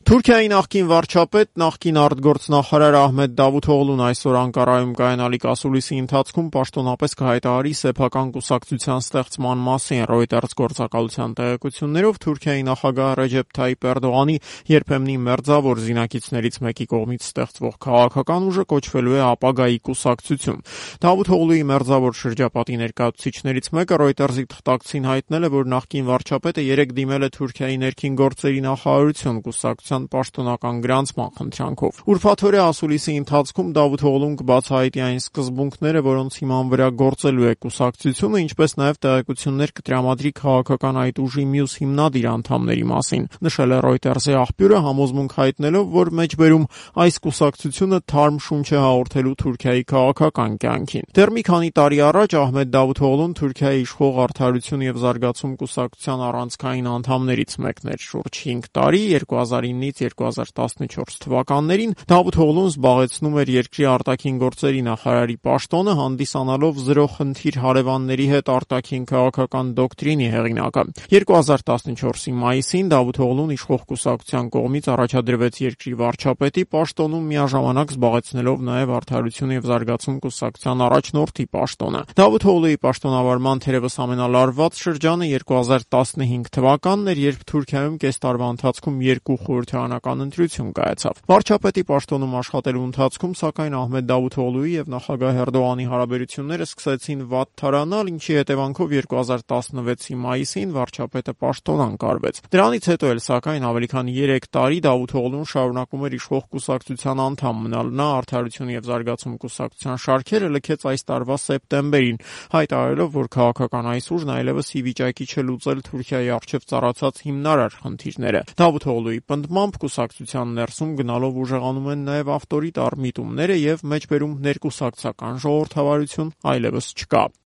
Թուրքիայի նախկին վարչապետ, նախկին արտգործնախարար Ահմեդ Դավութօղլուն այսօր Անկարայում կայանալիք ասուլիսի ընթացքում պաշտոնապես կհայտարարի սեփական կուսակցության ստեղծման մասին։ Reuters գործակալության տեղեկություններով Թուրքիայի նախագահ Ռեջեփ Թայիփ Էրդողանի երբեմնի մերձավոր զինակիցներից մեկի կողմից ստեղծվող քաղաքական ուժը կոչվելու է ապագայի կուսակցություն։ Դավութօղլուի մերձավոր շրջապատի ներկայացուցիչներից մեկը Reuters-ի թղթակցին հայտնել է, որ նախկին վարչապետը երեկ դիմել է Թուրքիայի ներքին գործերի նախարարություն կուսակցության պաշտոնական գրանցման խնդրանքով։ Ուրբաթօրյա ասուլիսի ընթացքում Դավութօղլուն կբացահայտի այն սկզբունքները, որոնց հիման վրա գործելու է կուսակցությունը, ինչպես նաև տեղեկություններ կտրամադրի քաղաքական այդ ուժի մյուս հիմնադիր անդամների մասին, նշել է Reuters-ի աղբյուրը, համոզմունք հայտնելով, որ մեջբերում այս կուսակցությունը թարմ շունչ է հաղորդելու Թուրքիայի քաղաքական կյանքին։ Դեռ մի քանի տարի առաջ Ահմեդ Դավութօղլուն Թուրքիայի իշխող Արդարություն և զարգացում կուսակցության առանցքային անդամներից մեկն էր։ Շուրջ 5 տարի 2009-2014 թվականներին Դավութօղլուն զբաղեցնում էր երկրի արտաքին գործերի նախարարի պաշտոնը, հանդիսանալով զրո խնդիր հարևանների հետ արտաքին քաղաքական դոկտրինի հեղինակը։ 2014-ի մայիսին Դավութօղլուն իշխող կուսակցության կողմից առաջադրվեց երկրի վարչապետի պաշտոնում, միաժամանակ զբաղեցնելով նաև Արդարություն և զարգացում կուսակցության առաջնորդի պաշտոնը։ Դավութօղլուի պաշտոնավարման թերևս ամենալարված շրջանը 2015 թվականն էր, երբ Թուրքիայում կես տարվա ընթացքում երկու խորհրդարանական ընտրություն կայացավ։ Վարչապետի պաշտոնում աշխատելու ընթացքում, սակայն, Ահմեդ Դավութօղլուի եւ նախագահ Էրդողանի հարաբերությունները սկսեցին վատ թարանալ, ինչի հետևանքով 2016-ի մայիսին վարչապետը պաշտոն ընկարվեց։ Դրանից հետո էլ, սակայն, ավելի քան 3 տարի Դավութօղլուն շարունակում էր իշխող կուսակցության անդամ մնալ։ Նա Արդարություն և զարգացում կուսակցության շարքերը լքեց այս տարվա սեպտեմբերին, հայտարարելով, որ քաղաքական այս ուժն այլևս ի վիճակի չէ լուծել Թուրքիայի առջև ծառացած հիմնարար խնդիրները։ Դավութօղլուի պնդմամբ կուսակցության ներսում գնալով ուժեղանում են նաև ավտորիտար միտումները և մեջբերում ներկուսակցական ժողովրդավարություն այլևս չկա։